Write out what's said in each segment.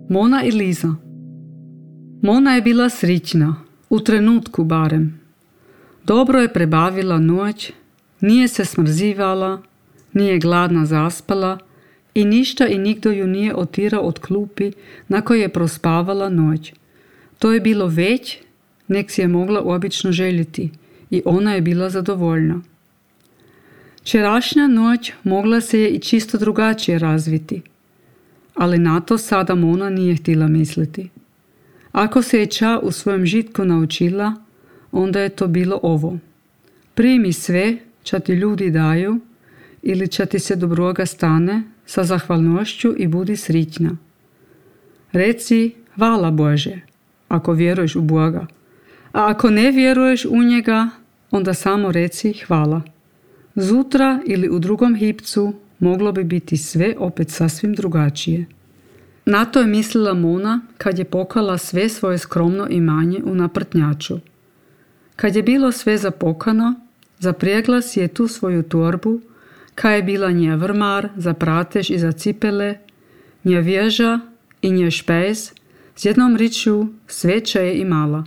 Mona i Liza. Mona je bila srićna, u trenutku barem. Dobro je prebavila noć, nije se smrzivala, nije gladna zaspala i ništa i nigdo ju nije otirao od klupi na kojoj je prospavala noć. To je bilo već, nek si je mogla obično željeti i ona je bila zadovoljna. Včerašnja noć mogla se je i čisto drugačije razviti, ali na to sada Mona nije htjela misliti. Ako se je ča u svojem žitku naučila, onda je to bilo ovo. Primi sve ča ti ljudi daju ili ča ti se dobroga stane sa zahvalnošću i budi srićna. Reci hvala Bože, ako vjeruješ u Boga, a ako ne vjeruješ u njega, onda samo reci hvala. Zutra ili u drugom hipcu moglo bi biti sve opet sasvim drugačije. Na to je mislila Mona kad je pokala sve svoje skromno imanje u naprtnjaču. Kad je bilo sve zapokano, zaprijegla si je tu svoju torbu, kaj je bila nje vrmar za pratež i za cipele, nje vježa i nje špejs, s jednom ričju sve če je imala.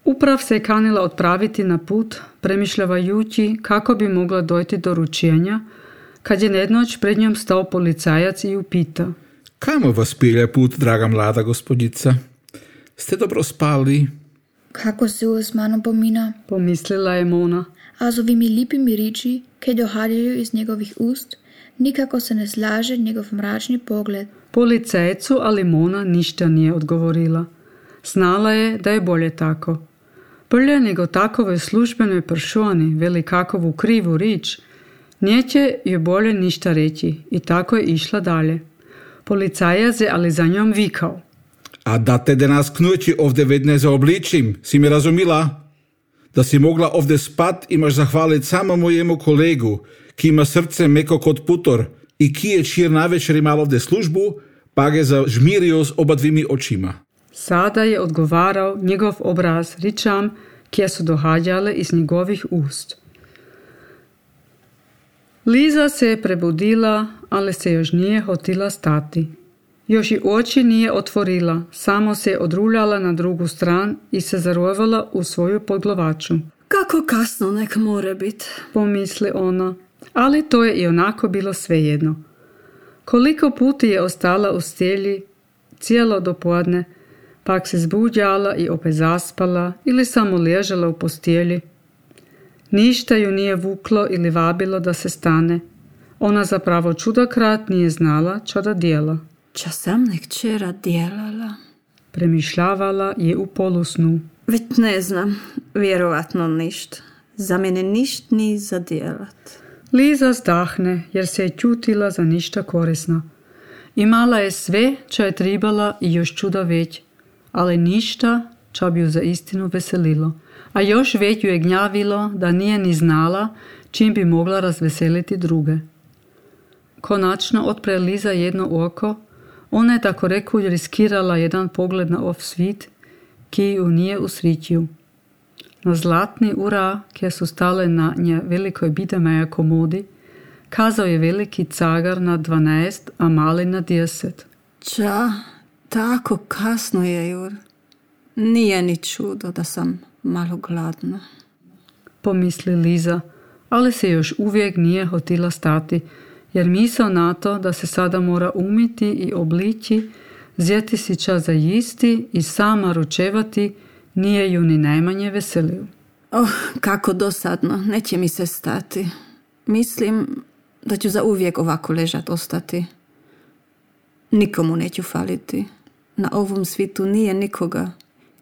Uprav se je kanila odpraviti na put, premišljavajući kako bi mogla dojti do ručenja, kad je jednoć pred njom stao policajac i ju pita. Kamo vas pilje put, draga mlada gospodjica? Ste dobro spali? Kako se s mano pomina? Pomislila je Mona. A z ovimi lipimi riči, ki dohajajo iz njegovih ust, nikako se ne slaže njegov mračni pogled. Policajcu ali Mona ništa nije odgovorila. Znala je da je bolje tako. Prije nego takove službenoj personi veli kakovu krivu rič, neće joj bolje ništa reći i tako je išla dalje. Policajac je ali za njom vikao. A da te danas k noći ovdje vedne zaobličim, si mi razumila? Da si mogla ovdje spat, imaš zahvalit samo mojemu kolegu, ki ima srce meko kot putor i ki je čir navečer imal ovdje službu, pa ga zažmirio s oba dvimi očima. Sada je odgovarao njegov obraz ričam, kje su dohađale iz njegovih ust. Liza se je prebudila, ali se još nije hotila stati. Još i oči nije otvorila, samo se je odruljala na drugu stran i se zarovala u svoju podglovaču. Kako kasno nek more biti, pomisli ona, ali to je i onako bilo svejedno. Koliko puti je ostala u stelji, cijelo dopodne, pak se zbuđala i opet zaspala ili samo ležala u postelji. Ništa ju nije vuklo ili vabilo da se stane. Ona zapravo čudokrat nije znala čo da djela. Ča sam nek včera djelala? Premišljavala je u polusnu. Već ne znam, vjerovatno ništa. Za mene ništa ni za djelat. Liza zdahne jer se je čutila za ništa korisno. Imala je sve čo je tribala i još čuda već, ali ništa čo bi ju za istinu veselilo. A još već ju je gnjavilo da nije ni znala čim bi mogla razveseliti druge. Konačno otpre Liza jedno oko, ona je tako reku riskirala jedan pogled na ov svit, ki ju nije usrićio. Na zlatni ura, kje su stale na nje velikoj bidemeja komodi, kazao je veliki cagar na 12, a mali na 10. Ča, tako kasno je, Jur. Nije ni čudo da sam malo gladna. Pomisli Liza, ali se još uvijek nije hotila stati, jer misao na to da se sada mora umiti i oblići, zjeti si čas za jisti i sama ručevati, nije ju ni najmanje veselio. Kako dosadno, neće mi se stati. Mislim da ću za uvijek ovako ležat ostati. Nikomu neću faliti. Na ovom svitu nije nikoga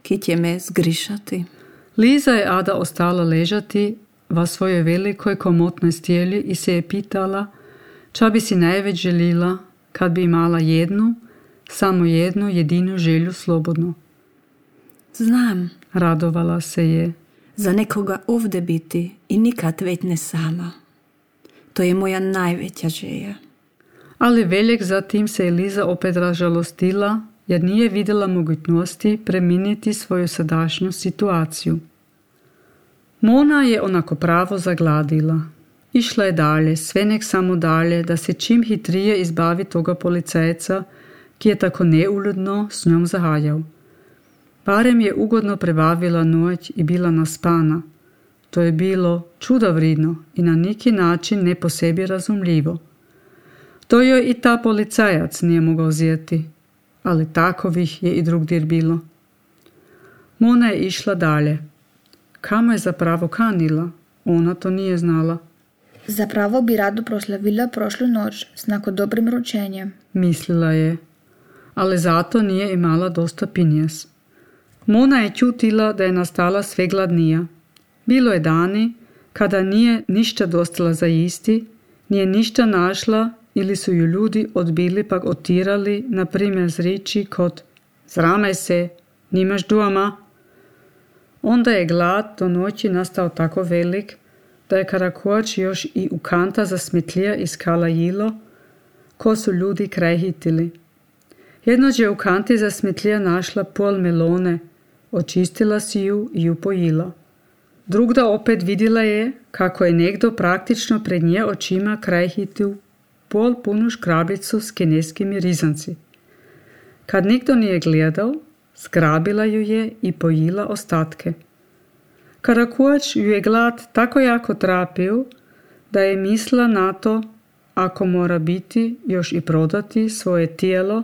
ki će me zgrišati. Liza je Ada ostala ležati va svojoj velikoj komotnoj stijeli i se je pitala ča bi si najveć želila kad bi imala samo jednu jedinu želju slobodno. Znam, radovala se je. Za nekoga ovdje biti i nikad već ne sama. To je moja najveća želja. Ali veljek zatim se je Liza opet razžalostila jer nije vidjela mogućnosti preminiti svoju sadašnju situaciju. Mona je onako pravo zagladila. Išla je dalje, sve nek samo dalje, da se čim hitrije izbavi toga policajca, ki je tako neuljudno s njom zahajal. Barem je ugodno prebavila noć i bila naspana. To je bilo čudovridno i na neki način ne po sebi razumljivo. To joj i ta policajac nije mogao zjeti, ali takovih je i drugdje bilo. Mona je išla dalje. Kamo je zapravo kanila? Ona to nije znala. Zapravo bi rado proslavila prošlu noć s nako dobrim ručenjem. Mislila je, ali zato nije imala dosta pinjes. Mona je čutila da je nastala sve gladnija. Bilo je dani kada nije ništa dostala za jisti, nije ništa našla ili su ju ljudi odbili pak otirali, na primjer s riči kod "Zramaj se, nimaš doma." Onda je glad do noći nastao tako velik da je Karakuač još i u kanta za smetlija iskala jilo, ko su ljudi kraj hitili. Jednoć je u kanti za smetlija našla pol melone, očistila si ju i ju pojila. Drugda opet vidjela je kako je nekdo praktično pred nje očima kraj hitil pol punu škrabicu s kineskimi rizanci. Kad nikdo nije gledal, zgrabila ju je i pojila ostatke. Karakuač ju je glad tako jako trapio da je mislila na to, ako mora biti, još i prodati svoje tijelo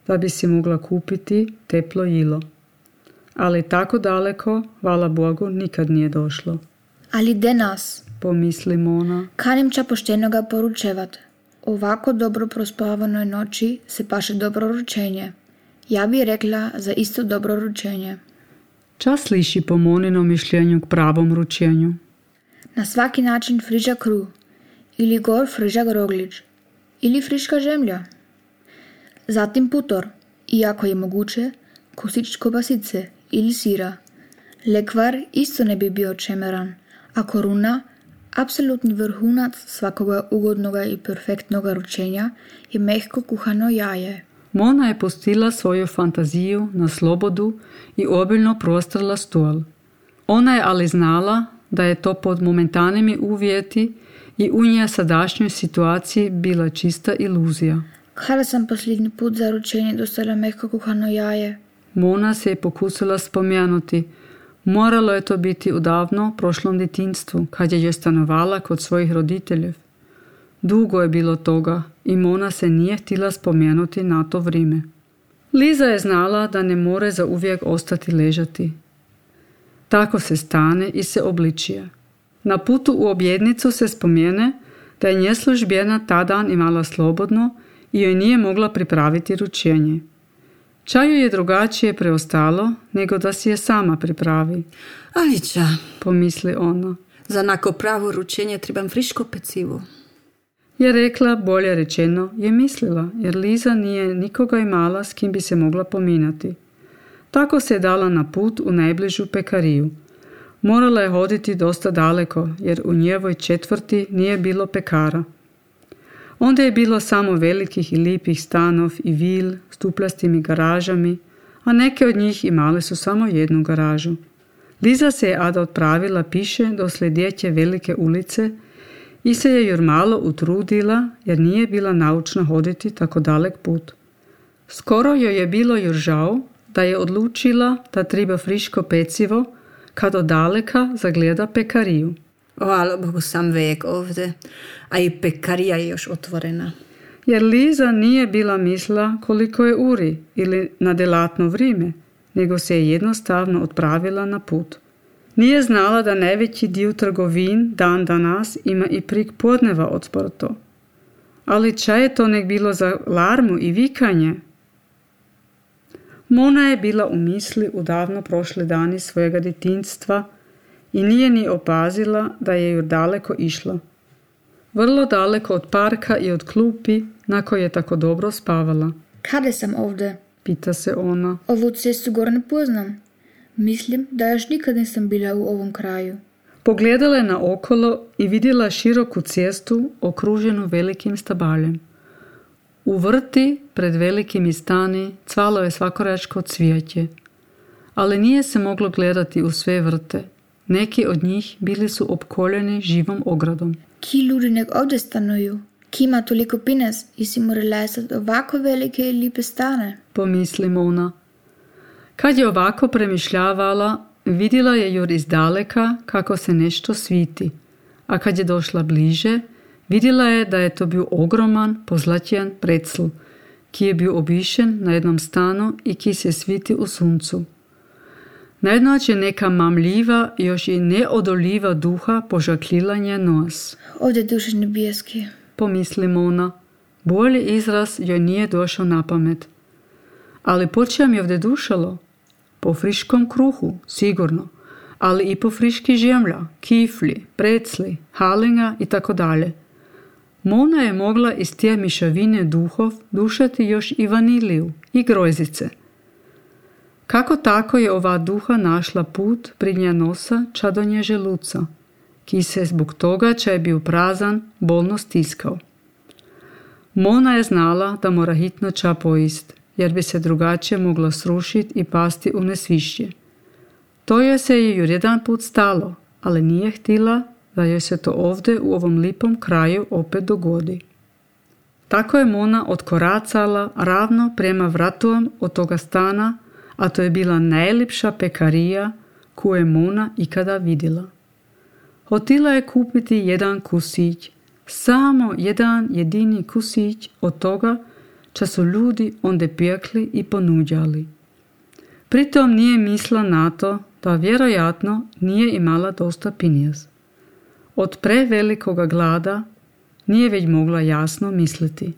da bi si mogla kupiti teplo jilo. Ali tako daleko, hvala Bogu, nikad nije došlo. Ali de nas, pomisli Mona. kanim ča poštenoga poručevat. Ovako dobro prospavanoj noći se paše dobro ručenje. Ja bi rekla za isto dobro ručenje. Čas sliši po Moninom mišljenju k pravom ručenju. Na svaki način friža kruh, ili gor frižak roglič, ili friška žemlja. Zatim putor, iako je moguće, kosić kobasice ili sira. Lekvar isto ne bi bio čemeran, a koruna, apsolutni vrhunac svakoga ugodnoga i perfektnoga ručenja, je mehko kuhano jaje. Mona je pustila svoju fantaziju na slobodu i obiljno prostrla stol. Ona je ali znala da je to pod momentanimi uvjeti i u nje sadašnjoj situaciji bila čista iluzija. Kada sam posljednji put za ručenje dostala mehko kuhano jaje? Mona se je pokusila spomenuti. Moralo je to biti u davno prošlom djetinjstvu, kad je stanovala kod svojih roditeljev. Dugo je bilo toga i Mona se nije htjela spomenuti na to vrijeme. Liza je znala da ne more za uvijek ostati ležati. Tako se stane i se obličije. Na putu u objednicu se spomene da je nje službena ta dan imala slobodno i joj nije mogla pripraviti ručenje. Čaju je drugačije preostalo nego da si je sama pripravi. Ali ča, pomisli ona. Za nako pravo ručenje trebam friško pecivo. Je rekla, bolje rečeno, je mislila, jer Liza nije nikoga imala s kim bi se mogla pominjati. Tako se je dala na put u najbližu pekariju. Morala je hoditi dosta daleko, jer u njevoj četvrti nije bilo pekara. Onda je bilo samo velikih i lipih stanov i vil s tuplastim garažami, a neke od njih imale su samo jednu garažu. Liza se je Ada odpravila piše do sljedeće velike ulice i se je jurmalo utrudila jer nije bila naučna hoditi tako dalek put. Skoro joj je bilo žao da je odlučila da treba friško pecivo kad od daleka zagleda pekariju. Hvala Bogu, sam vek ovdje, a i pekarija je još otvorena. Jer Liza nije bila misla koliko je uri ili na delatno vrijeme, nego se je jednostavno odpravila na put. Nije znala da najveći dio trgovin dan danas ima i prik podneva otporto. Ali ča je to nek bilo za larmu i vikanje? Mona je bila u misli u davno prošle dani svojega djetinjstva i nije ni opazila da je ju daleko išla. Vrlo daleko od parka i od klupi na kojoj je tako dobro spavala. Kada sam ovdje? Pita se ona. Ovu cestu gor ne poznam. Mislim da još nikad nisam bila u ovom kraju. Pogledala je na okolo i vidjela široku cestu okruženu velikim stabaljem. U vrti pred velikim stani cvalo je svakoračko cvijeće, ali nije se moglo gledati u sve vrte. Neki od njih bili su opkoljeni živom ogradom. Ki ljudi nek ovdje stanuju? ki ima toliko pines i si mora lesati ovako velike i lipe stane. Pomisli Mona. Kad je ovako premišljavala, vidjela je jur izdaleka kako se nešto sviti, a kad je došla bliže, vidjela je da je to bio ogroman, pozlatjen precl, ki je bil obišen na jednom stanu i ki se sviti u suncu. Najednoć je neka mamljiva, još i neodoljiva duha požaklila njen nos. Ovdje duše nebeski. Pomisli Mona. Bolji izraz joj nije došao na pamet. Ali po čem je ovdje dušalo? Po friškom kruhu, sigurno, ali i po friški žemlja, kifli, precli, halinga i tako dalje. Mona je mogla iz te mišavine duhov dušati još i vaniliju i grojzice. Kako tako je ova duha našla put pridnja nosa ča do nje želuca, ki se zbog toga ča je bio prazan bolno stiskao. Mona je znala da mora hitno ča pojist, jer bi se drugačije mogla srušiti i pasti u nesvišće. To joj se je joj jedan put stalo, ali nije htjela da joj se to ovdje u ovom lipom kraju opet dogodi. Tako je Mona odkoracala ravno prema vratom od toga stana, a to je bila najljepša pekarija koju je Mona ikada vidjela. Hotila je kupiti jedan kusić, samo jedan jedini kusić od toga ča su ljudi onde pekli i ponuđali. Pritom nije mislila na to da vjerojatno nije imala dosta pinjez. Od prevelikoga glada nije već mogla jasno misliti.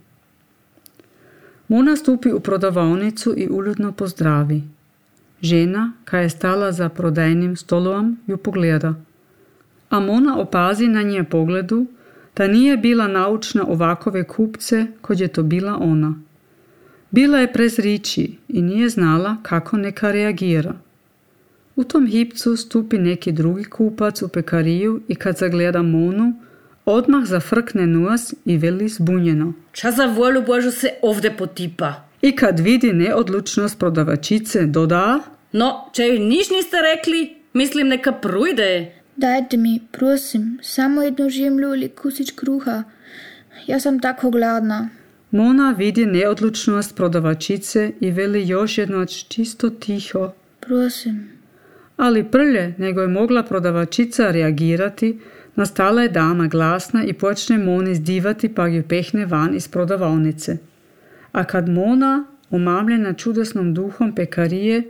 Mona stupi u prodavaonicu i uljudno pozdravi. Žena, koja je stala za prodajnim stolom, ju pogleda. A Mona opazi na nje pogledu da nije bila naučna ovakove kupce kod je to bila ona. Bila je prezriči i nije znala kako neka reagira. U tom hipcu stupi neki drugi kupac u pekariju i kad zagleda Monu, odmah zafrkne nos i veli zbunjeno. Ča za volju Božu se ovdje potipa? I kad vidi neodlučnost prodavačice, doda: No, če joj niš niste rekli, mislim neka prujde. Dajte mi, prosim, samo jednu žemlju ili kusić kruha. Ja sam tako gladna. Mona vidi neodlučnost prodavačice i veli još jednoć čisto tiho: Prosim. Ali prlje nego je mogla prodavačica reagirati, nastala je dama glasna i počne Moni zdivati pa ju pehne van iz prodavaonice. A kad Mona, omamljena čudesnom duhom pekarije,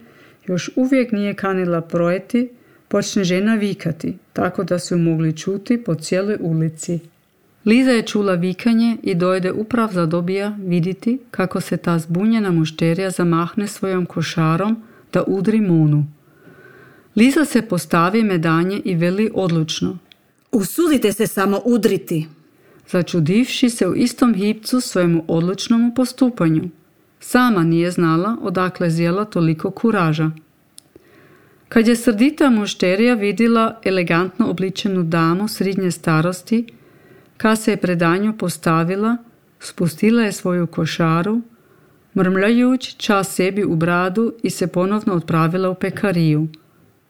još uvijek nije kanila projeti, počne žena vikati, tako da su mogli čuti po cijeloj ulici. Liza je čula vikanje i dojde uprav zadobija vidjeti kako se ta zbunjena mušterija zamahne svojom košarom da udri Monu. Liza se postavi medanje i veli odlučno: Usudite se samo udriti. Začudivši se u istom hipcu svojemu odlučnomu postupanju. Sama nije znala odakle zjela toliko kuraža. Kad je srdita mušterija vidjela elegantno obličenu damu srednje starosti, kad se je pred nju postavila, spustila je svoju košaru, mrmljajući čas sebi u bradu i se ponovno odpravila u pekariju.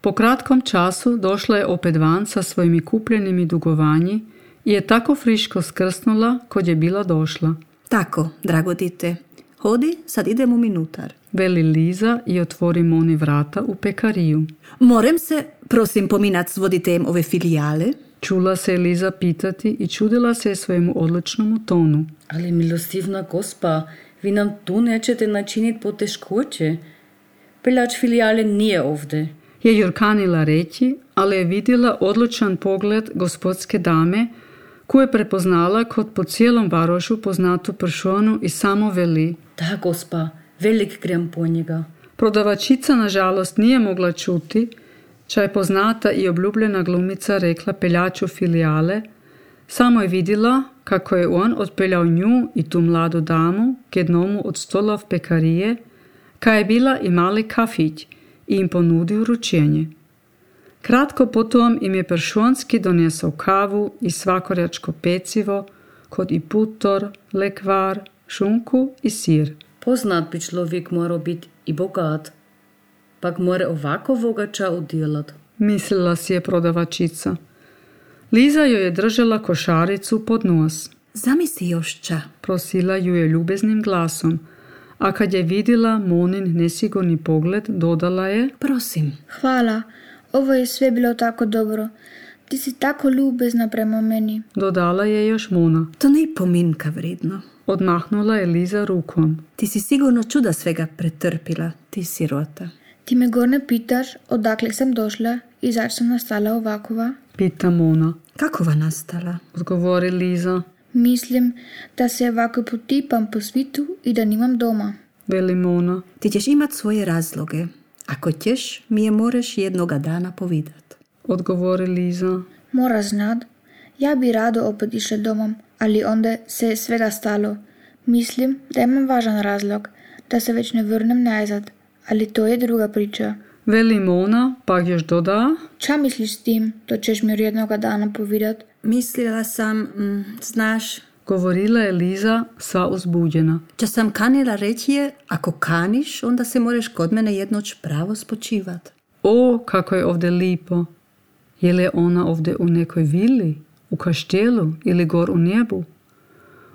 Po kratkom času došla je opet van sa svojimi kupljenimi dugovanji i je tako friško skrsnula kod je bila došla. Tako, drago dite, hodi, sad idem u minutar. Veli Liza i otvori Moni vrata u pekariju. Morem se, prosim, pominat s voditejem ove filijale? Čula se je Liza pitati i čudila se svojemu odlučnomu tonu. Ali milostivna gospa, vi nam tu nećete načiniti poteškoće. Peljač filijale nije ovdje. Je jurkanila reći, ali je vidjela odlučan pogled gospodske dame, koju je prepoznala kod po cijelom varošu poznatu pršonu i samo veli: Da, gospa, velik grem po njega. Prodavačica nažalost nije mogla čuti, ča je poznata i obljubljena glumica rekla peljaču filijale, samo je vidjela kako je on odpeljao nju i tu mladu damu k jednomu od stolov pekarije, ka je bila i mali kafić i im ponudio ručenje. Kratko potom im je Pršonski donesao kavu i svakorjačko pecivo, kod i putor, lekvar, šunku i sir. Poznat bi človek moral biti i bogat, pak mora ovako vogača udjelat. Mislila si je prodavačica. Liza joj je držala košaricu pod nos. Zamisli još ča. Prosila ju je ljubeznim glasom, a kad je vidjela Monin nesigurni pogled, dodala je: Prosim. Hvala, ovo je sve bilo tako dobro. Ti si tako ljubezna prema meni. Dodala je još Mona. To ne pominka vredno. Odmahnula je Liza rukom. Ti si sigurno čuda svega pretrpila, ti sirota. Ti me gor ne pitaš odakle sam došla i zač sam nastala ovakova? Pita Mona. Kakova nastala? Odgovori Liza. Mislim da se ovako potipam po svitu i da nimam doma. Veli Mona. Ti ćeš imat svoje razloge. Ako ćeš, mi je moreš jednoga dana povidat. Odgovori Liza. Mora znat, ja bi rado opet išla domom, ali onda se je svega stalo. Mislim da imam važan razlog, da se već ne vrnem nazad, ali to je druga priča. Veli Mona, pa još doda. Ča misliš s tim, to ćeš mi jednoga dana povidat? Mislila sam, znaš, Govorila je Liza sva uzbuđena. ča sam kanila reći je, ako kaniš, onda se moreš kod mene jednoć pravo spočivat. O, kako je ovdje lipo. Je li ona ovdje u nekoj vili, u kaštelu ili gor u nebu?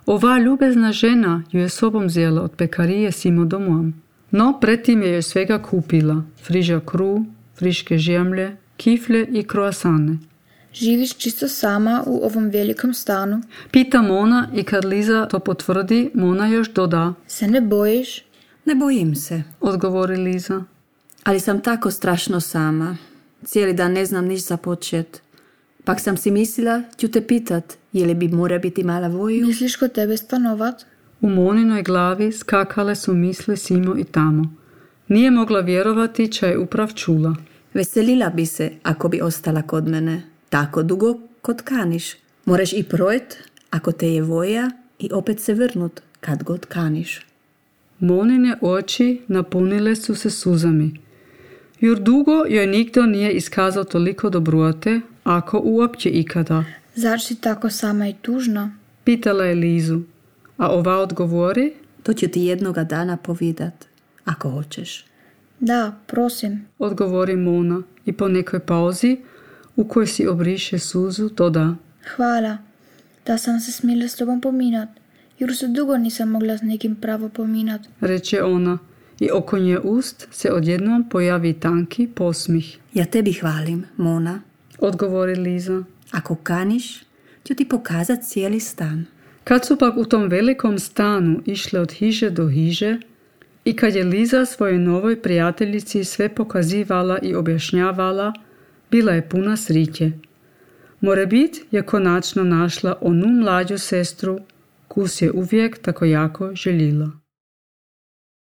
Ova ljubezna žena ju je sobom zjela od pekarije simo domom. No, pretim je još svega kupila. Friža kru, friške žemlje, kifle i kroasane. Živiš čisto sama u ovom velikom stanu? Pita Mona i kad Liza to potvrdi, Mona još doda. Se ne bojiš? Ne bojim se, Odgovori Liza. ali sam tako strašno sama. Cijeli dan ne znam niš započet. Pak sam si mislila, ću te pitat, je li bi mora biti mala voju? Misliš kod tebe stanovat? U Moninoj glavi skakale su misli simo i tamo. Nije mogla vjerovati ča je uprav čula. Veselila bi se ako bi ostala kod mene. Tako dugo kod kaniš. Moraš i projet ako te je voja i opet se vrnut kad god kaniš. Monine oči napunile su se suzami. Jur dugo joj nikdo nije iskazao toliko dobrote, ako uopće ikada. Zač si tako sama i tužna? Pitala je Lizu, a ova odgovori. To ću ti jednoga dana povidat, ako hoćeš. Da, prosim. Odgovori Mona i po nekoj pauzi, u kojoj si obriše suzu, doda. Hvala, da sam se smjela s tobom pominat, jer se dugo nisam mogla s nekim pravo pominat. Reče ona i oko nje ust se odjednom pojavi tanki posmih. Ja tebi hvalim, Mona. Odgovori Liza. Ako kaniš, ću ti pokazat cijeli stan. Kad su pak u tom velikom stanu išle od hiže do hiže i kad je Liza svojoj novoj prijateljici sve pokazivala i objašnjavala, bila je puna sriće. Morebit je konačno našla onu mlađu sestru, kus je uvijek tako jako željela.